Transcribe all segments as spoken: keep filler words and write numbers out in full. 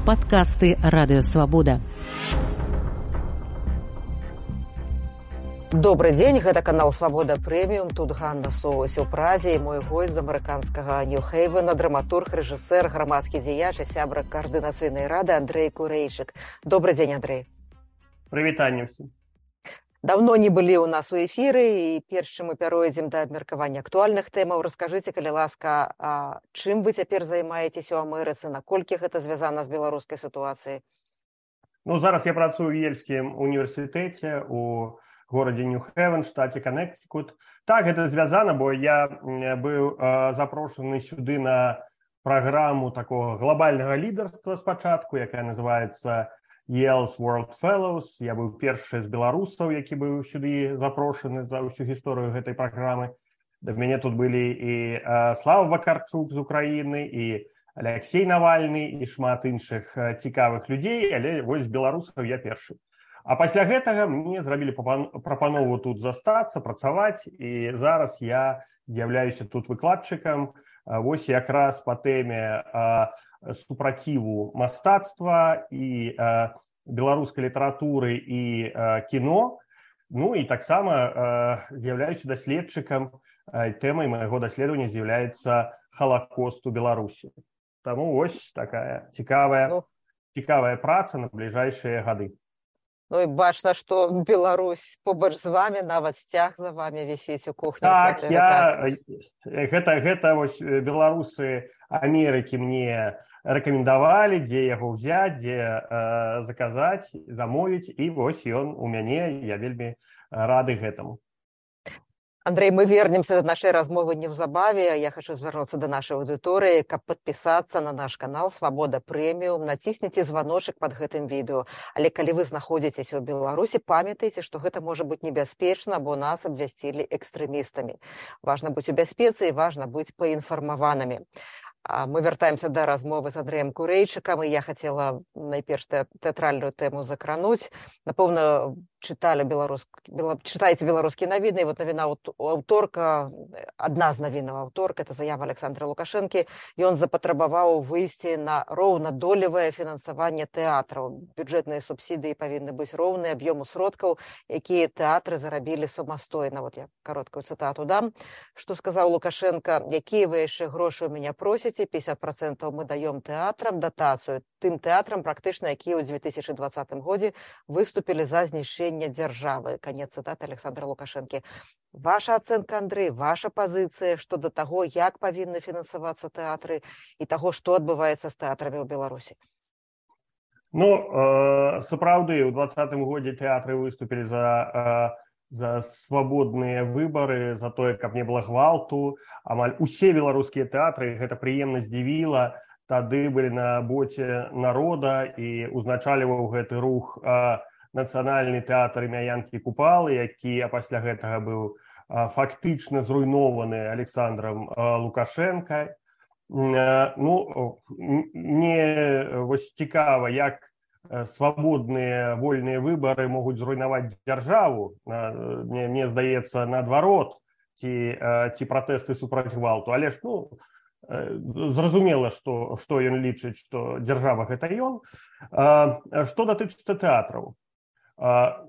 Падкасты радыёвабода. Добрый дзень, гэта канал Свабода Прэміум, тут Ганна Соўвась у Празе, і мой госць з амерыканскага Нью-Хейвена, драматург, рэжысэр, грамадскі дзеяч і сябра каардынацыйнай рады Андрэй Курэйчык. Добрый дзень, Андрэй. Прывітанне ўсім. Давно не былі ў нас у эфіры, і перш чым мы пяройдзем да абмеркавання актуальных тэмаў, раскажыце, калі ласка, а чым вы цяпер займаецеся ў Амерыцы, наколькі гэта звязана з беларускай сітуацыяй? Ну, зараз я працую ў Ельскім універсітэце у горадзе Нью-Хевен, штаце Каннектикут. Так, гэта звязана, бо я быў э, запрошаны сюды на праграму такого глобальнага лідарства спачатку, якая называецца Yale's World Fellows. Я быў першы з беларусаў, які быў сюды запрошаны за ўсю гісторыю гэтай праграмы. Да мяне тут былі і э, Слава Вакарчук з Украіны, і Алексей Навальны, і шмат іншых э, цікавых людзей, але вось з беларусаў я першы. А пасля гэтага мне зрабілі прапанову тут застацца, працаваць, і зараз я з'яўляюся тут выкладчыкам, вось якраз па тэме супраціву мастацтва і беларускай літаратуры і кіно. Ну і таксама з'яўляюся даследчыкам, тэмай майго даследавання з'яўляецца Халакост у Беларусі. Таму вось такая цікавая, ну, цікавая праца на бліжэйшыя гады. Ну і бачна, што Беларусь побач з вамі, нават сцяг за вамі вісіць у кухні. Так, я... так. Гэта, гэта вось беларусы Амерыкі мне рэкамендавалі, дзе яго ўзяць, дзе э, заказаць, замовіць, і вось ён у мяне, я вельмі рады гэтаму. Андрей, мы вернемся до нашей размовы неўзабаве. Я хочу звярнуцца до нашай аўдыторыі, каб падпісацца на наш канал Свабода Прэміум. Націсніце званочак под гэтым відэо. Але калі вы знаходзіцеся ў Беларусі, памятайце, што гэта можа быць небяспечна, бо нас абвясцілі экстрэмістамі. Важна быць у бяспецы і важна быць паінфармаванымі. Мы вяртаемся да размовы з Андрэем Курэйчыкам, і я хацела найперш тэатральную тэму закрануць. Напэўна, чыталі беларуск... Бела... чытаеце беларускія навіны, і вот навіна аўторка, адна з навінаў аўторка, это заява Александра Лукашэнкі, ён запатрабаваў выйсці на роўнадолевае фінансаванне тэатраў. Бюджэтныя субсідыі павінны быць роўныя аб'ёму сродкаў, якія тэатры зарабілі самастойна. Вот я кароткую цытату дам. Што сказаў Лукашенко: якія вы яшчэ грошы ў мяне просіце? пятьдесят процентов мы даём тэатрам датацыю, тым тэатрам, практычна, якія ў две тысячы двадцатым годзе выступілі за знішчэнне дзяржавы. Канец цытаты Александра Лукашэнкі. Ваша ацэнка, Андрэй, ваша пазіцыя што да таго, як павінны фінансавацца тэатры і таго, што адбываецца з тэатрамі ў Беларусі? Ну, э, сапраўды, ў двадцатым годзе тэатры выступілі за... Э... за свабодныя выбары, за тое, каб не было гвалту. Амаль усе беларускія тэатры, гэта прыемна здзівіла, тады былі на боце народа, і узначальваў гэты рух а, нацыянальны тэатр імя Янкі Купалы, які а пасля гэтага быў а, фактычна зруйнованы Александром а, Лукашенко. А, ну, мне вось цікава, як свабодныя вольныя выбары могуць зруйнаваць дзяржаву. Мне, мне здаецца, наадварот, ці, ці пратэсты супраць гвалту. Але ж, ну, зразумела, што, што ён лічыць, што дзяржава гэта ён. Што датычыцца тэатраў?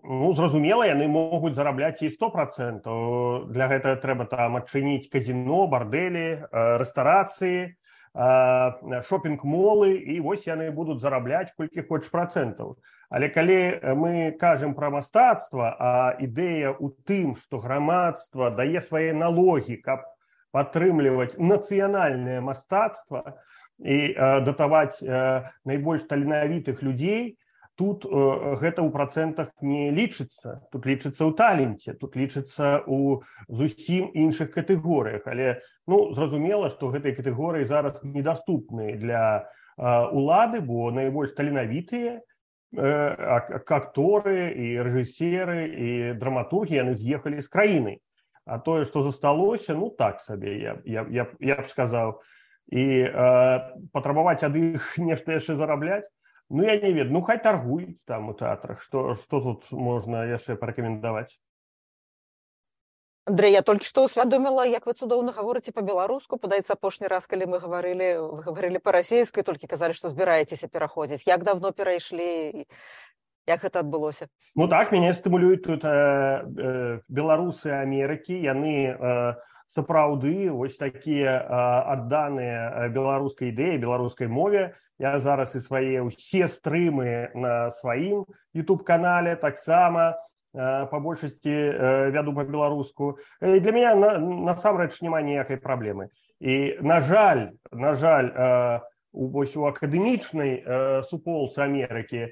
Ну, зразумела, яны могуць зарабляць і сто процентаў. Для гэтага трэба там адчыніць казіно, бардэлі, рэстарацыі, шопінг-молы, і вось яны будуць зарабляць колькі хочаш працэнтаў. Але калі мы кажам пра мастацтва, а ідэя ў тым, што грамадства дае свае налогі, каб падтрымліваць нацыянальнае мастацтва і датаваць найбольш таленавітых людзей, тут гэта ў працэнтах не лічыцца. Тут лічыцца ў таленце, тут лічыцца ў зусім іншых катэгорыях. Але, ну, зразумела, што гэтыя катэгорыі зараз недаступныя для улады, бо найбольш таленавітыя акторы і рэжысеры і драматургі, яны з'ехалі з краіны. А тое, што засталося, ну, так сабе, я, я, я, я б сказаў. І э, патрабаваць ад іх нешта яшчэ зарабляць, ну, я не ведаю, ну, хай таргуюць там у тэатрах, што, што тут можна яшчэ парэкамендаваць? Андрей, я толькі што ўсвядоміла, як вы цудоўна гаворыце па-беларуску. Падаецца, апошні раз, калі мы гаварылі, вы гаварылі па-расейску, толькі казалі, што збіраецеся пераходзіць. Як давно перайшлі, як гэта адбылося? Ну так, мяне стымулююць тут э, э, беларусы Амерыкі, яны э, сапраўды вось такія э, адданыя беларускай ідэі, беларускай мове. Я зараз і свае ўсе стрымы на сваім YouTube-канале таксама по большасці вяду па-беларуску. Для мяне на, насамрэч няма ніякай праблемы. І на жаль, на жаль, вось у акадэмічнай суполцы Амерыкі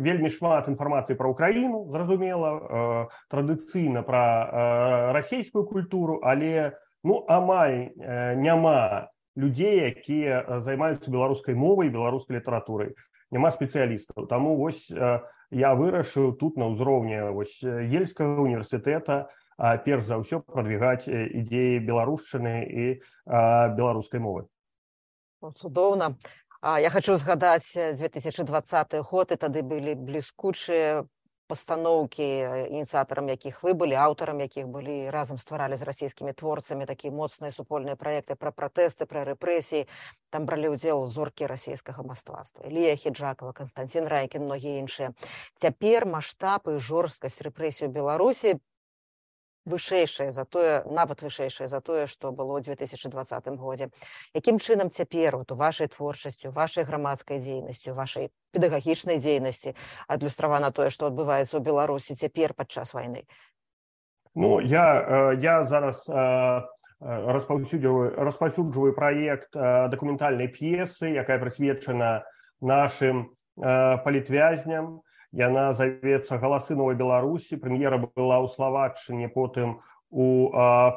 вельмі шмат інфармацыі пра Украіну, зразумела, традыцыйна пра расійскую культуру, але ну амаль няма людзей, якія займаюцца беларускай мовай, беларускай літаратурай. Няма спецыялістаў. Таму вось я вырашыў тут на ўзроўні вось Ельскага універсітэта перш за ўсё прадвігаць ідзеі беларушчыны і беларускай мовы. Цудоўна. Я хочу згадаць две тысячы двадцаты год, і тады былі бліскучыя пастаноўкі, ініцыятарам якіх вы былі, аўтарам якіх былі, разам стваралі з расійскімі творцамі такія моцныя супольныя праекты пра пратэсты, пра рэпрэсіі. Там бралі ўдзел зоркі расійскага мастацтва. Ілія Хіджакова, Канстантин Райкін, многія іншыя. Цяпер маштаб і жорсткасць рэпрэсій у Беларусі вышэйшая за тое, нават вышэйшая за тое, што было ў две тысячы двадцатым годзе. Якім чынам цяпер вот, у вашай творчасці, у вашай грамадскай дзейнасці, у вашай педагагічнай дзейнасці адлюстравана тое, што адбываецца ў Беларусі цяпер падчас вайны? Ну, я, я зараз распаўсюджваю, распаўсюджваю праект дакументальнай п'есы, якая прысвечана нашым палітвязням. Яна завецца «Галасы новай Беларусі». Прэм'ера была ў Славаччыне, потым у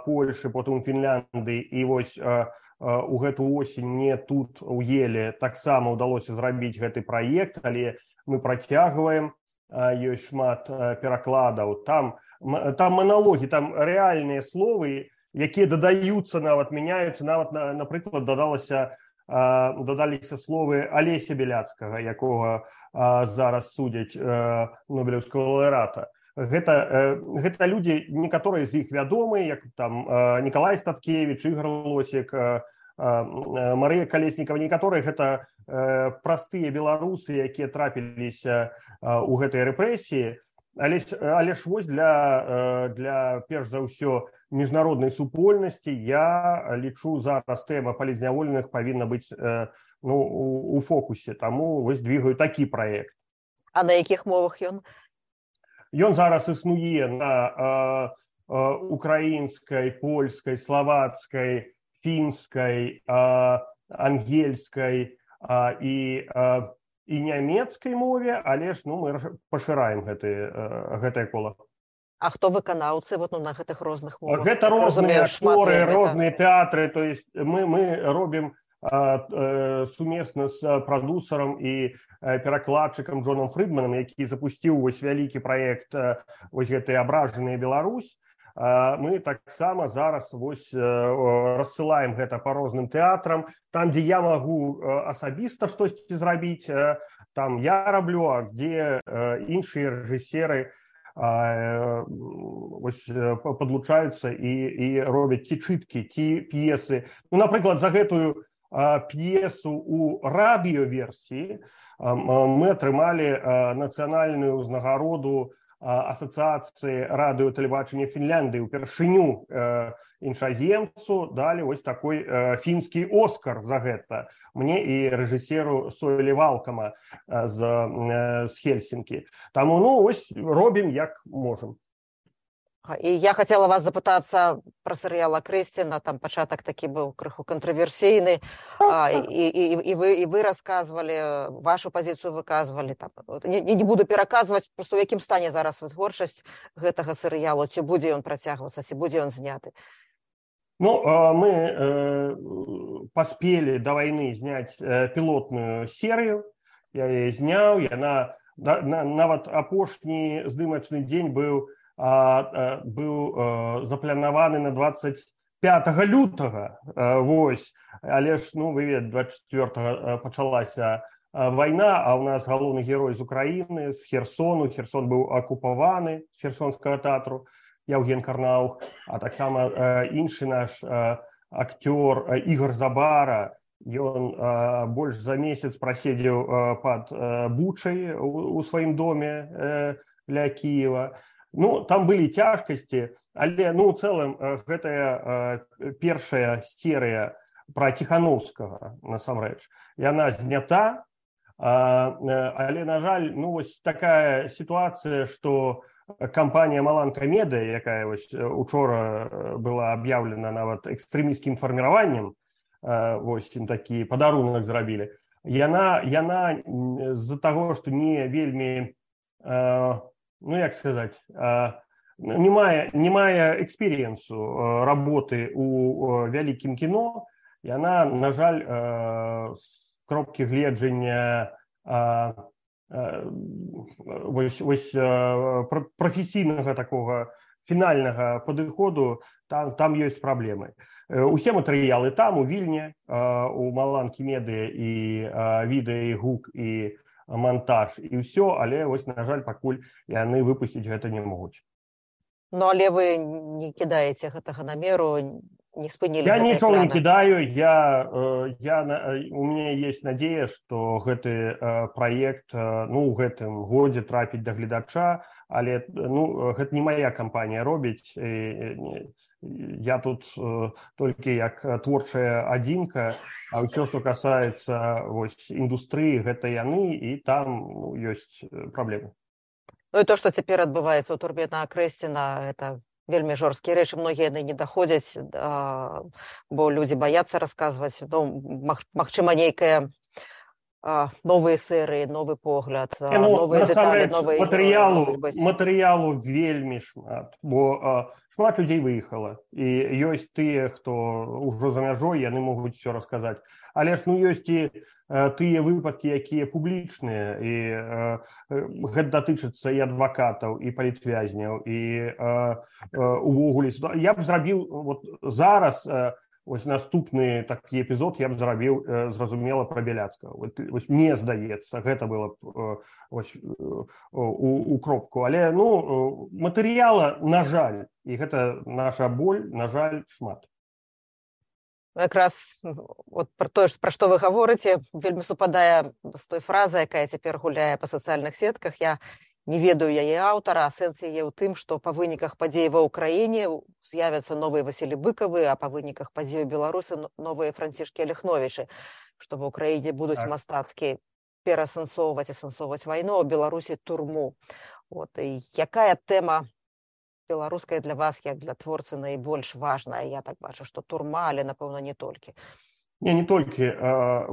Польшы, потым у Фінляндыі. І вось у гэту осень мне тут у Еле таксама ўдалося зрабіць гэты праект, але мы працягваем, ёсць шмат перакладаў. Там, там маналогі, там рэальныя словы, якія дадаюцца, нават мяняюцца, нават, напрыклад, дадалася дадаліся словы Алеся Беляцкага, якога зараз судзяць нобелеўскага лаўрэата. Гэта, гэта людзі, некаторыя з іх вядомыя, як там Нікалай Статкевіч, Ігор Лосік, Марыя Калеснікава, некаторыя гэта простыя беларусы, якія трапіліся ў гэтай рэпрэсіі. Але, але ж вось для, для, перш за ўсё, міжнароднай супольнасці я лічу зараз тэма палітзняволеных павінна быць ну, у, у фокусе. Таму вось двигаю такі праект. А на якіх мовах ён? Ён зараз існуе на э, э, украінскай, польскай, славацкай, фінскай, э, ангельскай э, і э, і нямецкай мове, але ж ну, мы пашыраем гэты, гэтае кола. А хто выканаўцы вот, ну, на гэтых розных мовах? Гэта розныя акторы, розныя тэатры. То есть мы, мы робім а, а, сумесна з прадусарам і перакладчыкам Джонам Фрыдманам, які запусціў вось вялікі праект вось гэтай абражаныя Беларусь. Мы таксама зараз вось рассылаем гэта па розным тэатрам. Там, дзе я магу асабіста штосьці зрабіць, там я раблю, а дзе іншыя рэжысеры вось падлучаюцца і, і робяць ці чыткі, ці п'есы. Ну, напрыклад, за гэтую п'есу ў радыёверсіі мы атрымалі нацыянальную ўзнагароду асацыяцыі радыё тэлебачання Фінляндыі. Упершыню э, іншаземцу далі вось такой э, фінскі Оскар за гэта. Мне і рэжысеру Сойлі Валкама э, з, э, з Хельсінкі. Таму ну, ось робім як можам. І я хотела вас запытацца пра серыяла Крысціна, там пачатак такі быў крыху кантраверсійны, а, і, і, і, вы, і вы расказвалі, вашу пазіцыю выказвалі. Там. Не, не буду пераказваць, просто у якім стане зараз вытворчасць гэтага серыялу, ці будзе ён працягвацца, ці будзе ён зняты? Ну, мы э, паспелі да вайны зняць э, пілотную серыю, я яе зняў, яна на, на, нават апошні здымачны дзень быў А, быў а, запланаваны на двадцать пятого лютага. А, вось. Але ж, ну, вы ведаеце, двадцать четвёртого пачалася а, вайна, а у нас галоўны герой з Украіны, з Херсону. Херсон быў акупаваны, з Херсонскага тэатру. Яўген Карнаух, а таксама іншы наш актёр Ігор Забара. Ён больш за месяц праседзеў пад Бучай у сваім доме ля Кіева. Ну, там былі цяжкасці, але, ну, у цэлым, гэтая першая серыя пра Ціхановскага, насамрэч, яна знята, але, на жаль, ну, вось такая сітуацыя, што кампанія Маланка Медыя, якая вось учора была аб'яўлена нават экстрэмісцкім фарміраваннем, вось ім такі падарунак зрабілі, яна, яна з-за таго, што не вельмі, ну, як сказаць, не мае, не мае эксперыенсу работы у вялікім кіно, яна, на жаль, з кропкі гледжання вось, вось прафесійнага такога фінальнага падыходу, там, там ёсць праблемы. Усе матэрыялы там, у Вільні, у Маланкі Медыя, і відэа, і гук, і монтаж, і ўсё, але, вось, на жаль, пакуль яны выпусціць гэта не могуць. Ну, але вы не кідаеце гэтага намеру, не спынілі я гэтай нічога планы? Не кідаю, я, я, у мяне есть надзея, што гэты праект, ну, ў гэтым годзе трапіць да гледача, але, ну, гэта не мая кампанія робіць, я тут толькі як творчая адзінка, а ўсё, што касаецца вось індустрыі, гэта яны, і там, ну, ёсць праблемы. Ну і то, што цяпер адбываецца ў турме на Акрэсціна, гэта вельмі жорсткія рэчы, многія яны не даходзяць, бо людзі баяцца расказваць. Ну, магчыма, нейкая новыя серыі, новы погляд, ну, новыя дэталі, новыя... Матэрыялу, матэрыялу вельмі шмат, бо шмат людзей выехала, і ёсць тыя, хто ўжо за мяжой, яны могуць все расказаць. Але ж, ну, ёсць і тыя выпадкі, якія публічныя, і гэта датычыцца і адвакатаў, і палітвязняў, і увогуле. Я б зрабіў вот зараз, ось наступны такі эпізод я б зрабіў, зразумела, пра Бяляцкага. Вось мне здаецца, гэта было б ось у, у кропку. Але, ну, матэрыяла, на жаль, і гэта наша боль, на жаль, шмат. Якраз от пра тое, пра што вы гаворыце, вельмі супадае з той фразай, якая цяпер гуляе па сацыяльных сетках. Я не ведаю яе аўтара, а сэнс яе ў тым, што па выніках падзей ва ўкраіне з'явяцца новыя Васілі Быкавы, а па выніках падзей у Беларусі новыя Францішкі Аляхновічы, што ва ўкраіне будуць так. Мастацкі перасэнсоўваць, асэнсоўваць вайну, а ў Беларусі турму. От, і якая тэма беларуская для вас, як для творцы, найбольш важная? Я так бачу, што турма, але, напэўна, не толькі. Не, не толькі.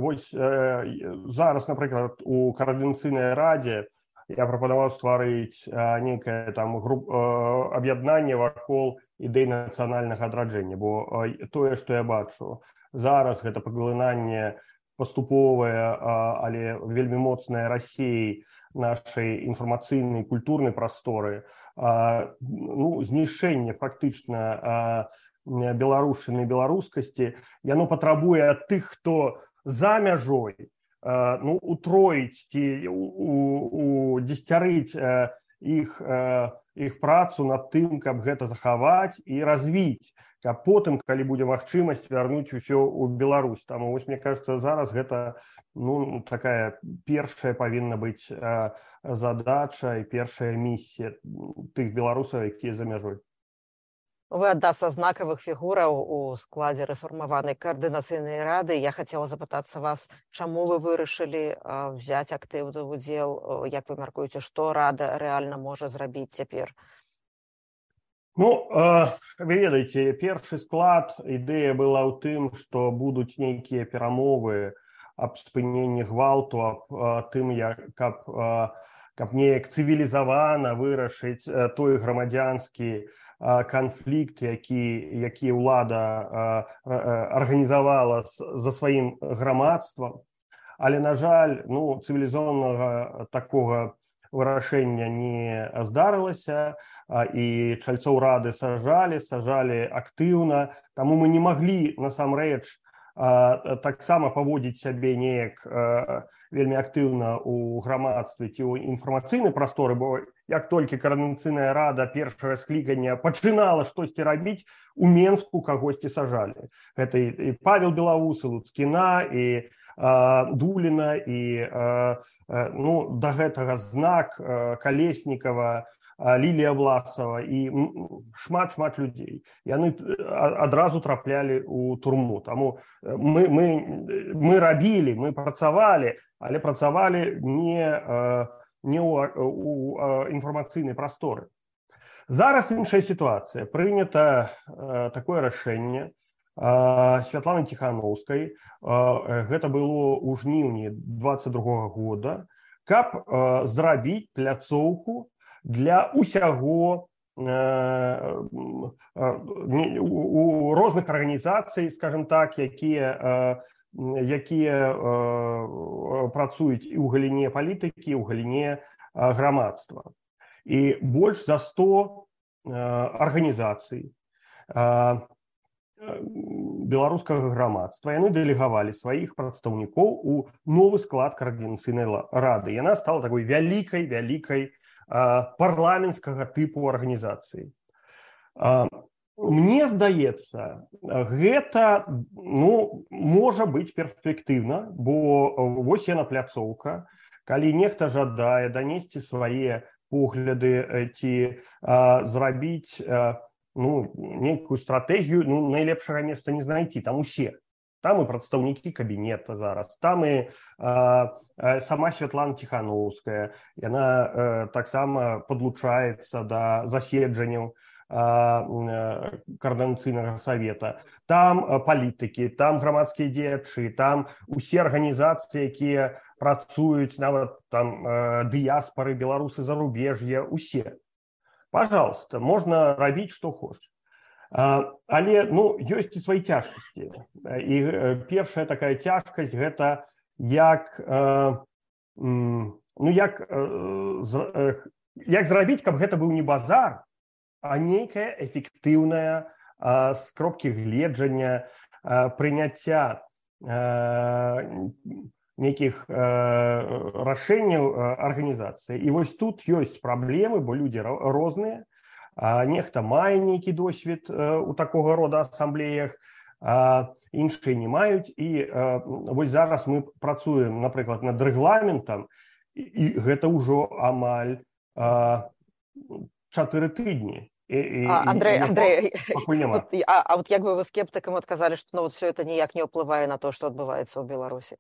Вось зараз, напрыклад, у Коордынацыйнай радзе я прапанаваў стварыць нейкае там аб'яднанне вакол ідэй нацыянальнага адраджэння, бо тое, што я бачу зараз, гэта паглынанне паступовае, але вельмі моцнае Расіі нашай інфармацыйнай культурнай прасторы, ну, знішчэнне фактычна беларушчыны, беларускасці, яно патрабуе ад тых, хто за мяжой, ну, утроіць ці удзесяцярыць іх, іх працу над тым, каб гэта захаваць і развіць, каб потым, калі будзе магчымасць, вярнуць усё ў Беларусь. Таму, вось, мне кажется, зараз гэта, ну, такая першая павінна быць задача і першая місія тых беларусаў, якія за мяжой. Вы адна са знакавых фігураў у складзе рэфармаванай Коордынацыйнай рады. Я хацела запытацца вас, чаму вы вырашылі взяць актыўны ўдзел, як вы мяркуеце, што рада рэальна можа зрабіць цяпер? Ну, вы ведаеце, першы склад, ідэя была ў тым, што будуць нейкія перамовы аб спыненні гвалту, аб тым, каб, каб неяк цывілізавана вырашыць той грамадзянскі канфлікт, які, які ўлада арганізавала за сваім грамадствам. Але, на жаль, ну, цывілізованага такога вырашэння не здарылася, і чальцоў рады сажалі, сажалі актыўна, таму мы не маглі, насамрэч, таксама паводзіць сябе неяк вельмі актыўна ў грамадстве ці ў інфармацыйнай прасторы, бо як толькі Коордынацыйная рада першага склікання пачынала штосьці рабіць, у Менску кагосьці сажалі. Гэта і Павел Белоус, і Луцкіна, і Дуліна, і ну, да гэтага Знак, Калеснікава, Лілія Власова і шмат-шмат людзей. Яны адразу траплялі ў турму. Таму мы, мы, мы рабілі, мы працавалі, але працавалі не, не ў, у інфармацыйнай прасторы. Зараз іншая сітуацыя. Прынята такое рашэнне Святланы Ціханаўскай. Гэта было ў жніўні двадцать другога года, каб зрабіць пляцоўку для усяго э, у розных арганізацый, скажем так, якія, якія працуюць і ў галіне палітыкі, і ў галіне грамадства. І больш за сто арганізацый беларускага грамадства, яны дэлегавалі сваіх прадстаўнікоў у новы склад Коордынацыйнай рады. Яна стала такой вялікай, вялікай парламенцкага тыпу арганізацыі. Мне здаецца, гэта ну, можа быць перспектыўна, бо вось яна пляцоўка, калі нехта жадае данесці свае погляды ці зрабіць ну, нейкую стратэгію, ну, найлепшага месца не знайти, там усе. Там і прадстаўнікі кабінета зараз, там і а, сама Святлана Ціханаўская, яна а, таксама падлучаецца да заседжанняў Коордынацыйнага савета. Там а, палітыкі, там грамадскія дзеячы, там усе арганізацыі, якія працуюць, нават там а, дыяспары, беларусы зарубеж'я, усе. Пожалуйста, можна рабіць, што хочаш. Але ну, ёсць і свае цяжкасці. І першая такая цяжкасць гэта як, ну, як, як зрабіць, каб гэта быў не базар, а нейкая эфектыўная з кропкі гледжання, прыняцця нейкіх рашэнняў арганізацыі. І вось тут ёсць праблемы, бо людзі розныя. А нехта мае нейкі досвед у такога рода асамблеях, а іншыя не маюць. І а, вось зараз мы працуем, напрыклад, над рэгламентам, і, і гэта ўжо амаль а, чатыры тыдні. І, а, Андрей, і, Андрей, вот, а, а вот як бы вы скептыкам адказалі, што ну, вот все это ніяк не ўплывае на то, што адбываецца ў Беларусі?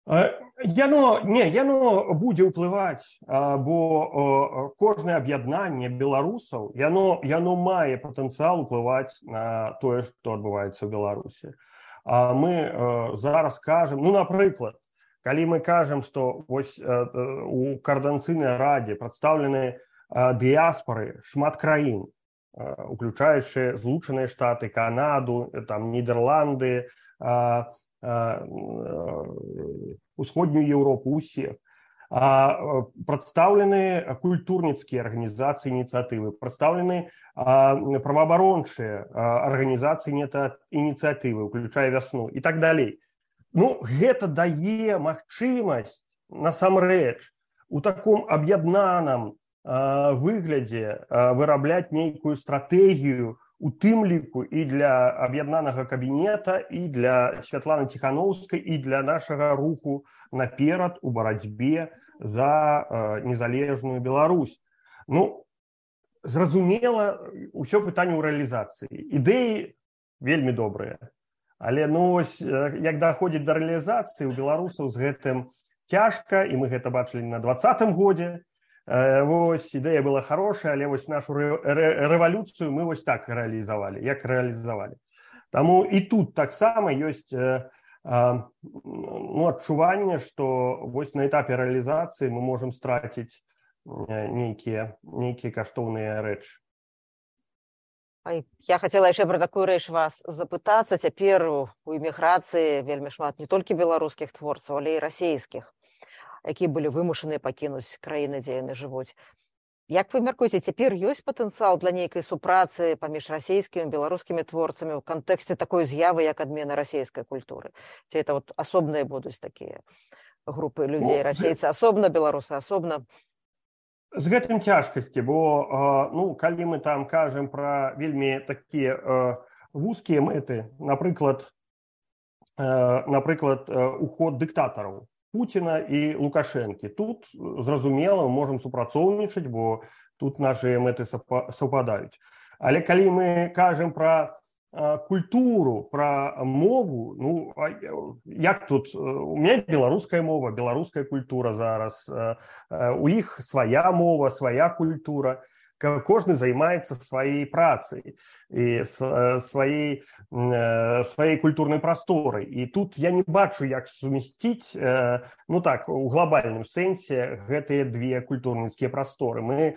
Яно, не, яно будзе ўплываць, бо кожнае аб'яднанне беларусаў, яно, яно мае патэнцыял уплываць на тое, што адбываецца ў Беларусі. Мы зараз кажам, ну, напрыклад, калі мы кажам, што вось у Коордынацыйнай радзе прадстаўлены дыяспары шмат краін, уключаючы Злучаныя Штаты, Канаду, там, Нідерланды, Усходнюю Европу, усіх. Прадстаўлены культурніцкія арганізацыі, ініцыятывы, прадстаўлены праваабарончыя арганізацыі, ініцыятывы, уключая Вясну і так далей. Ну, гэта дае магчымасць, насамрэч, у таком аб'яднаным выглядзе вырабляць нейкую стратэгію, у тым ліку і для аб'яднанага кабінета, і для Святланы Ціханаўскай, і для нашага руху наперад у барацьбе за незалежную Беларусь. Ну, зразумела, усё пытанне ў рэалізацыі. Ідэі вельмі добрыя. Але ну, ось, як даходзіць да рэалізацыі, у беларусаў з гэтым цяжка, і мы гэта бачылі на двадцатым годзе. Вось, ідэя была хорошая, але вось нашу рэвалюцыю мы вось так рэалізавалі, як рэалізавалі. Таму і тут таксама ёсць ну, адчуванне, што вось на этапе рэалізацыі мы можам страціць нейкія, нейкія каштоўныя рэчы. Я хацела яшчэ пра такую рэч вас запытацца. Цяпер у эміграцыі вельмі шмат не толькі беларускіх творцаў, але і расійскіх, якія былі вымушаныя пакінуць краіны, дзе яны жывуць. Як вы мяркуеце, цяпер ёсць патэнцыял для нейкай супрацы паміж расійскімі і беларускімі творцамі ў кантэксце такой з'явы, як адмена расійскай культуры? Ці это вот асобныя будуць такія групы людзей, расейцы асобна, беларусы асобна? З гэтым цяжкасці, бо ну, калі мы там кажам пра вельмі такія вузкія мэты, напрыклад, напрыклад, уход дыктатараў Пуціна і Лукашэнкі. Тут, зразумела, мы можам супрацоўнічаць, бо тут нашы мэты саўпадаюць. Але калі мы кажам пра культуру, пра мову, ну, як тут? У мяне беларуская мова, беларуская культура зараз, у іх свая мова, свая культура. Кожны займаецца сваёй працай і сваёй, сваёй культурнай прасторай. І тут я не бачу, як сумясціць, ну так, у глобальным сэнсе гэтыя две культурніцкія прасторы. Мы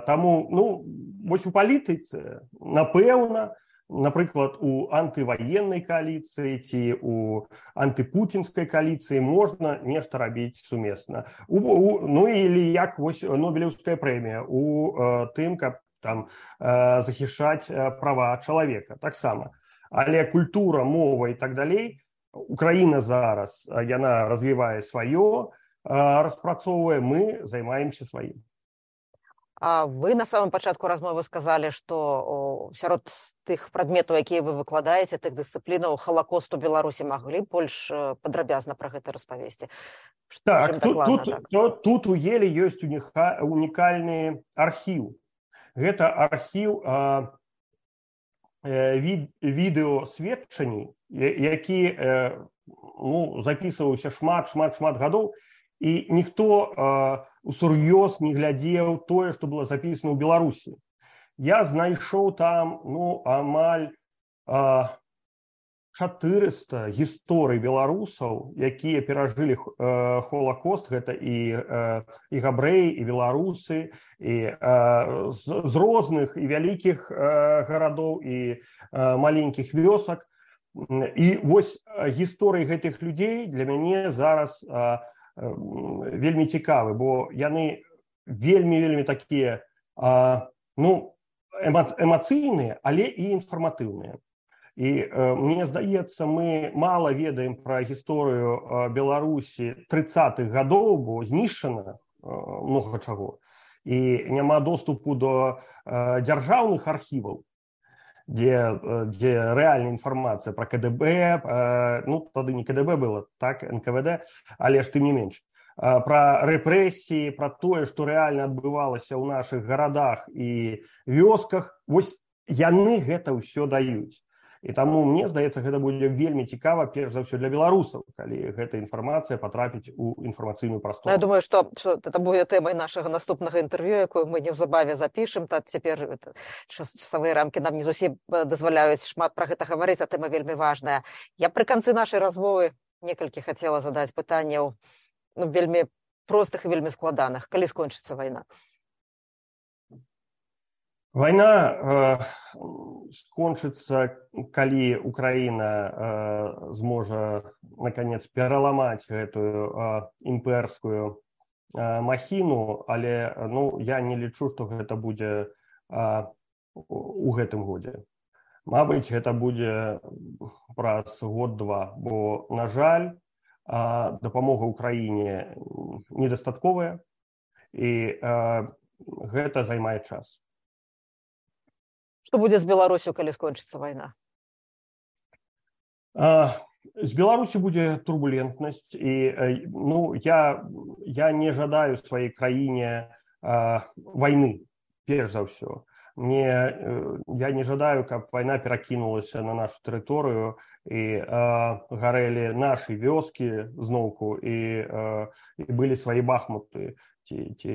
таму, ну, вось у палітыцы, напэўна, напрыклад, у антываеннай кааліцыі ці у антыпуцінскай кааліцыі можна нешта рабіць сумесна. У, у, ну, или як вось Нобелеўская прэмія у э, тым, каб там э, захішаць э, права чалавека. Таксама. Але культура, мова і так далей, Украіна зараз, яна развівае сваё, э, распрацоўвае, мы займаемся сваім. А вы на самом пачатку размовы сказалі, што сярод тых прадметаў, якія вы выкладаеце, тых дысцыплінаў Халакост у Беларусі, маглі больш падрабязна пра гэта распавесці? Так, тут, тут, так? Тут, тут у Еле ёсць унікальны архіў. Гэта архіў а, від, відэасведчанні, які э, ну, запісваўся шмат, шмат, шмат гадоў, і ніхто э, усур'ёз не глядзеў тое, што было запісана ў Беларусі. Я знайшоў там, ну, амаль э, чатырыста гісторый беларусаў, якія перажылі э, Холакост, гэта і, э, і габрэі, і беларусы, і э, з, з розных і вялікіх э, гарадоў, і э, маленькіх вёсак. І вось гісторыі гэтых людзей для мяне зараз э, вельмі цікавы, бо яны вельмі-вельмі такія, а, ну, эма, эмацыйныя, але і інфарматыўныя. І а, мне здаецца, мы мала ведаем пра гісторыю а, Беларусі трыццатых гадоў, бо знішчана а, многа чаго. І няма доступу до а, дзяржаўных архіваў, дзе, дзе рэальная інфармацыя пра КДБ, ну, тады не КДБ было, так, эн ка вэ дэ, але ж тым не менш, пра рэпрэсіі, пра тое, што рэальна адбывалася ў нашых гарадах і вёсках, вось яны гэта ўсё даюць. І таму, мне здаецца, гэта будзе вельмі цікава, перш за ўсё для беларусаў, калі гэта інфармацыя патрапіць у інфармацыйную прастору. Я думаю, што, што это будзе тэмай нашага наступнага інтэрв'ю, якую мы неўзабаве запішам. Та цяпер часовыя рамкі нам не зусім дазваляюць шмат пра гэта гаварыць, а тэма вельмі важная. Я пры канцы нашай размовы некалькі хацела задаць пытанняў, ну, вельмі простых і вельмі складаных. Калі скончыцца вайна? Вайна э, скончыцца, калі Украіна э, зможа, наконец, пераламаць гэтую э, імперскую э, махіну, але ну, я не лічу, што гэта будзе э, у гэтым годзе. Мабыць, гэта будзе праз год-два, бо, на жаль, э, дапамога Украіне недастатковая, і э, гэта займае час. Што будзе з Беларусю, калі скончыцца вайна? А, з Беларусі будзе турбулентнасць. І, ну, я, я не жадаю сваёй краіне а, вайны, перш за ўсё. Мне, я не жадаю, каб вайна перакінулася на нашу тэрыторыю і а, гарэлі нашы вёскі зноўку, і, а, і былі свае бахмуты ці, ці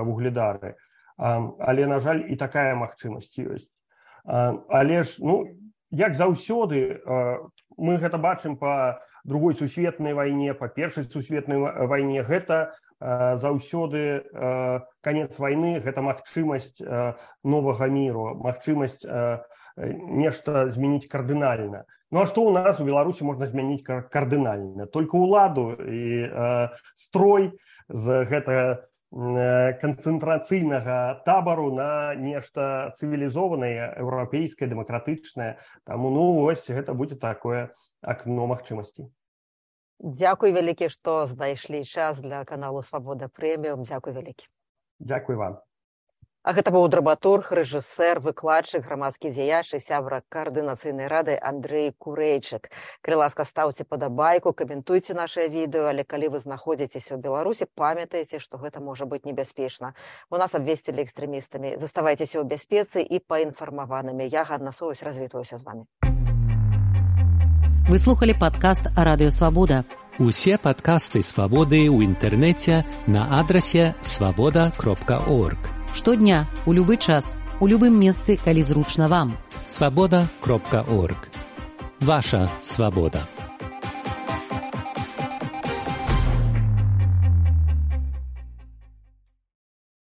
вугледары. А, але, на жаль, і такая магчымасць ёсць. Але ж, ну, як заўсёды, мы гэта бачым па другой сусветнай вайне, па першай сусветнай вайне, гэта заўсёды канец вайны, гэта магчымасць новага міру, магчымасць нешта змяніць кардынальна. Ну, а што ў нас у Беларусі можна змяніць кардынальна? Толькі ўладу і строй з гэтага канцэнтрацыйнага табару на нешта цывілізованае, еўрапейскае, дэмакратычнае. Таму, ну, вось, гэта будзе такое акно магчымасцей. Дзякуй вялікі, што знайшлі час для каналу «Свабода Прэміум». Дзякуй вялікі. Дзякуй вам. А гэта быў драматург, рэжысэр, выкладчык, грамадскі дзеяч і сябра каардынацыйнай рады Андрэй Курэйчык. Калі ласка, стаўце падабайку, каментуйце нашае відэо, але калі вы знаходзіцеся ў Беларусі, памятайце, што гэта можа быць небяспечна. У нас абвесцілі экстрэмістамі. Заставайцеся ў бяспецы і паінфармаванымі. Я, Ганна Соваць, развітваюся з вамі. Вы слухали падкаст «Радыё Свабода». Усе падкасты «Свабоды» ў інтэрнэце на адрасе свабода кропка орг. Штодня, у любы час, у любым месцы, калі зручна вам. свабода кропка орг. Ваша свабода.